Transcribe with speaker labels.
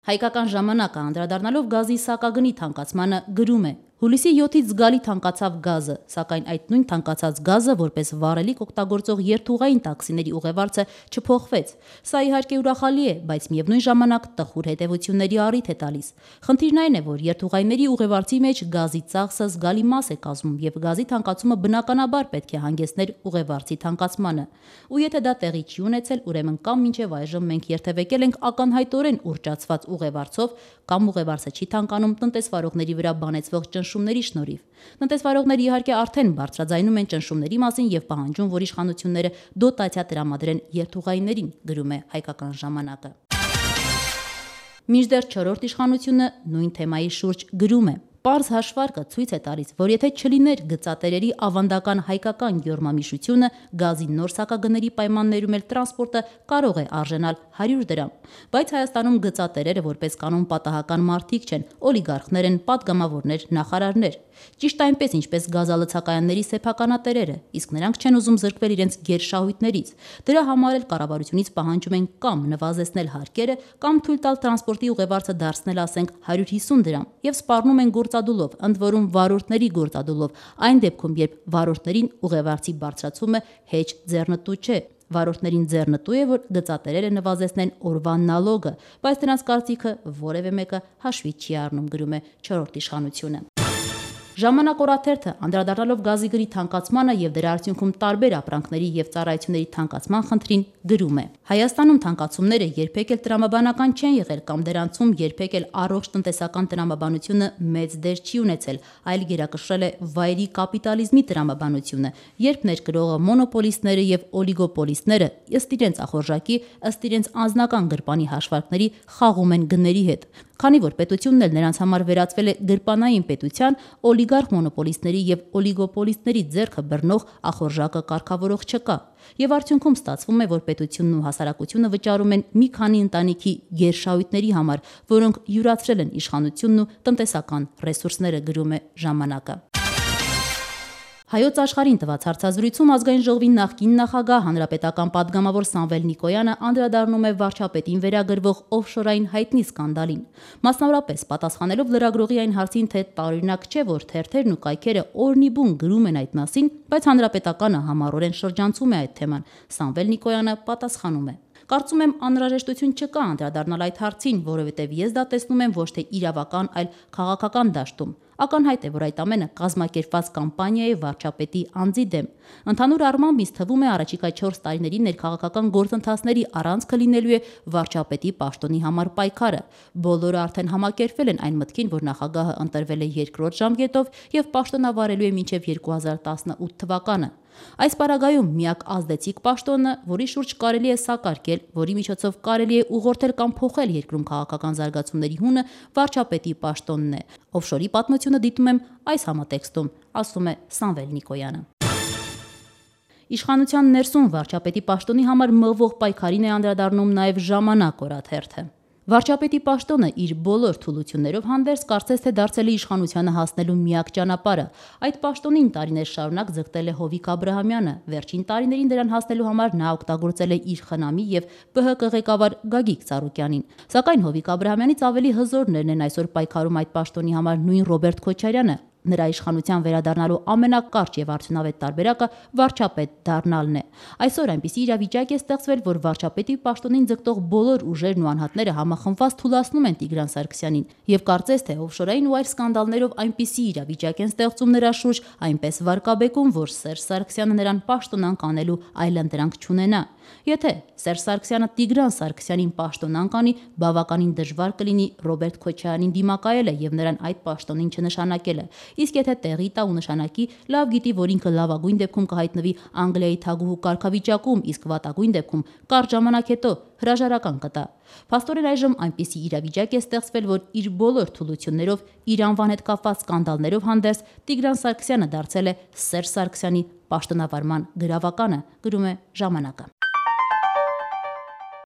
Speaker 1: Հայկական ժամանակը անդրադառնալով գազի սակագնի թանկացմանը գրում է. Հուլիսի 7-ից զգալի թանկացավ գազը, սակայն այդ նույն թանկացած գազը որպես վառելիք օգտագործող երթուղային տաքսիների ուղևարցը չփոխվեց։ Սա իհարկե ուրախալի է, բայց միևնույն ժամանակ տխուր հետևությունների առիթ է տալիս։ Խնդիրն այն է, որ երթուղայինների ուղևարցի մեջ գազի ծախսը զգալի մաս է կազմում եւ գազի թանկացումը բնականաբար պետք է հանգեցներ ուղևարցի թանկացմանը։ Ու եթե դա տեղի չի ունեցել, ուրեմն կամ մինչև այժմ մենք երթևեկել ենք ականհայտորեն ուռճացված ուղևարցով, կամ ուղևարցը չի թանկանում տնտեսվարողների վրա բանեցվող ճնշումների շնորհիվ։ Տնտեսվարողները իհարկե արդեն բարձրաձայնում են ճնշումների մասին եւ պահանջում, որ իշխանությունները դոտացիա տրամադրեն երթուղայիններին, գրում է Հայկական ժամանակը։ Մինչդեռ 4-րդ իշխանությունը նույն թեմայի շուրջ գրում է. Պարզ հաշվարկը ցույց է տալիս, որ եթե չլիներ գծատերերի ավանդական հայկական յորմամիշությունը, գազի նոր սակագների պայմաններում էլ տրանսպորտը կարող է արժենալ 100 դրամ։ Բայց Հայաստանում գծատերերը որպես կանոն պատահական մարդիկ չեն, օլիգարխներ են, падգամավորներ, նախարարներ։ Ճիշտ այնպես, ինչպես գազալցակայանների սեփականատերերը, իսկ նրանք չեն ուզում զրկվել իրենց գերշահույթներից։ Դրա համար էլ կառավարությունից պահանջում են կամ նվազեցնել հարկերը, կամ թույլ տալ տրանսպորտի ուղևարցը դարձնել, ասենք, 150 դրամ, եւ սպառնում են գործադուլով, ընդ որում վարորդների գործադուլով, այն դեպքում, երբ վարորդներին ուղևարցի բարձրացումը հեչ ձեռնտու չէ։ Վարորդներին ձեռնտու է, որ գծատերերը նվազեցնեն օրվա նալոգը, բայց նրանց կարծիքը որևէ մեկը հաշվի չի առնում, գրում է 4-րդ իշխանությունը։ Ժամանակ օրաթերթը անդրադառնալով գազի գնի թանկացմանը եւ դրա արդյունքում տարբեր ապրանքների եւ ծառայությունների թանկացման խնդրին գրում է. Հայաստանում թանկացումները երբեք էլ տրամաբանական չեն եղել կամ դրանցում երբեք էլ առողջ տնտեսական տրամաբանությունը մեծ դեր չի ունեցել, այլ գերակշռել է վայրի կապիտալիզմի տրամաբանությունը, երբ ներկրողը մոնոպոլիստները եւ օլիգոպոլիստները ըստ իրենց ախորժակի, ըստ իրենց անձնական գրպանի հաշվարկների խաղում են գների հետ։ Քանի որ պետությունն էլ նրանց համար վերածվել է գրպանային պետության, օլիգարխ մոնոպոլիստների եւ օլիգոպոլիստների ձեռքը բռնող ախորժակը կարգավորող չկա։ Եվ արդյունքում ստացվում է, որ պետությունն ու հասարակությունը վճարում են մի քանի ընտանիքի գերշահույթների համար, որոնք յուրացրել են իշխանությունն ու տնտեսական ռեսուրսները, գրում է ժամանակը։ Հայոց աշխարհին տված հարցազրույցում ազգային ժողովի նախկին նախագահ հանրապետական падգամավոր Սամվել Նիկոյանը անդրադառնում է վարչապետին վերագրվող օֆշորային հայտնի սկանդալին։ Մասնավորապես պատասխանելով լրագրողի այն հարցին, թե տարօրինակ չէ, որ թերթերն ու կայքերը օրնիբուն գրում են այդ մասին, բայց հանրապետականը համառորեն շրջանցում է այդ թեման, Սամվել Նիկոյանը պատասխանում է. Կարծում եմ անհրաժեշտություն չկա անդրադառնալ այդ հարցին, որովհետև ես դա տեսնում եմ ոչ թե իրավական, այլ քաղաքական դաշտում։ Ակնհայտ է, որ այդ ամենը կազմակերպված կամպանիա է վարչապետի անձի դեմ։ Ընդհանուր առմամբ ինձ թվում է առաջիկա 4 տարիների ներքաղաքական գործընթացների առանցքը լինելու է վարչապետի պաշտոնի համար պայքարը։ Բոլորը արդեն համակերպվել են այն մտքին, որ նախագահը ընտրվել է երկրորդ ժամկետով եւ պաշտոնավարելու է մինչեւ 2018 թվականը։ Այս պարագայում միակ ազդեցիկ պաշտոնը, որի շուրջ կարելի է սակարկել, որի միջոցով կարելի է ուղղորդել կամ փոխել երկրում քաղաքական զարգացումների հունը, վարչապետի պաշտոնն է։ Օֆշորի պատմությունը դիտում եմ այս համատեքստում, ասում է Սամվել Նիկոյանը։ Իշխանության ներսում վարչապետի պաշտոնի համար մղվող պայքարին է անդրադառնում նաև ժամանակ օրաթերթը։ Վարչապետի պաշտոնը իր բոլոր թուլություններով հանդերձ կարծես թե դարձել է իշխանությանը հասնելու միակ ճանապարհը։ Այդ պաշտոնին տարիներ շարունակ ձգտել է Հովիկ Աբրահամյանը, վերջին տարիներին դրան հասնելու համար նա օգտագործել է իր խնամի եւ ԲՀԿ ղեկավար Գագիկ Ծառուկյանին։ Սակայն Հովիկ Աբրահամյանից ավելի հզորներն են այսօր պայքարում այդ պաշտոնի համար նույն Ռոբերտ Քոչարյանը։ Նրա իշխանության վերադառնալու ամենակարճ եւ արդյունավետ տարբերակը վարչապետ դառնալն է։ Այսօր այնպիսի իրավիճակ է ստեղծվել, որ վարչապետի պաշտոնին ձգտող բոլոր ուժերն ու անհատները համախմբված թուլացնում են Տիգրան Սարգսյանին եւ կարծես թե օֆշորային ու այլ սկանդալներով այնպիսի իրավիճակ են ստեղծում նրա շուրջ, այնպես վարկաբեկում, որ Սերժ Սարգսյանը նրան պաշտոնանկ անելու այլընտրանք չունենա։ Եթե Սերժ Սարգսյանը Տիգրան Սարգսյանին պաշտոնանկ անի, բավականին դժվար կլինի Ռոբերտ Քոչարյանին դիմակայելը եւ նրան այդ պաշտոնին չնշանակելը։ Իսկ եթե տեղի տա ու նշանակի, լավ գիտի, որ ինքը լավագույն դեպքում կհայտնվի Անգլիայի թագուհու կարգավիճակում, իսկ վատագույն դեպքում կարճ ժամանակ հետո հրաժարական կտա։ Փաստորեն այժմ այնպիսի իրավիճակ է ստեղծվել, որ իր բոլոր թուլություններով, իր անվան հետ կապված սկանդալներով հանդերձ Տիգրան Սարգսյանը դարձել է Սերժ Սարգսյանի պաշտոնավարման գրավականը, գրում է ժամանակը։